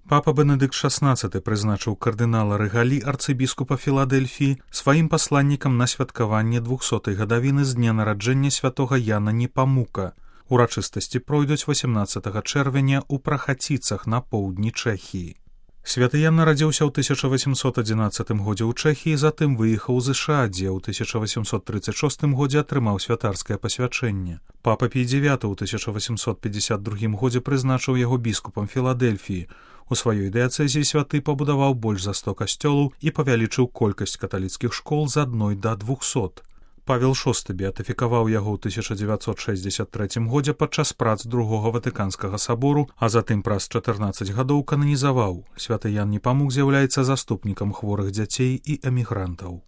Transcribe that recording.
Папа Бенедыкт XVI прызначыў кардынала Рэгалі, арцыбіскупа Філадэльфіі, сваім пасланнікам на святкаванне 200-й гадавіны з дня нараджэння святога Яна Непамука. Урачыстасці пройдуць 18 чэрвеня ў Прахаціцах на поўдні Чэхіі. Святы Ян нарадзіўся ў 1811 годзе ў Чэхіі, затым выехаў з ЗША, дзе ў 1836 годзе атрымаў святарскае пасвячэнне. Папа Пій IX ў 1852 годзе прызначыў яго біскупам Філадэльфіі. У сваёй дыяцэзіі святы пабудаваў больш за 100 касцёлаў і павялічыў колькасць каталіцкіх школ з 1 да 200. Павел VI беатыфікаваў яго ў 1963 годзе падчас прац Другога Ватыканскага сабору, а затым праз 14 гадоў кананізаваў. Святы Ян Непамук з'яўляецца заступнікам хворых дзяцей і эмігрантаў.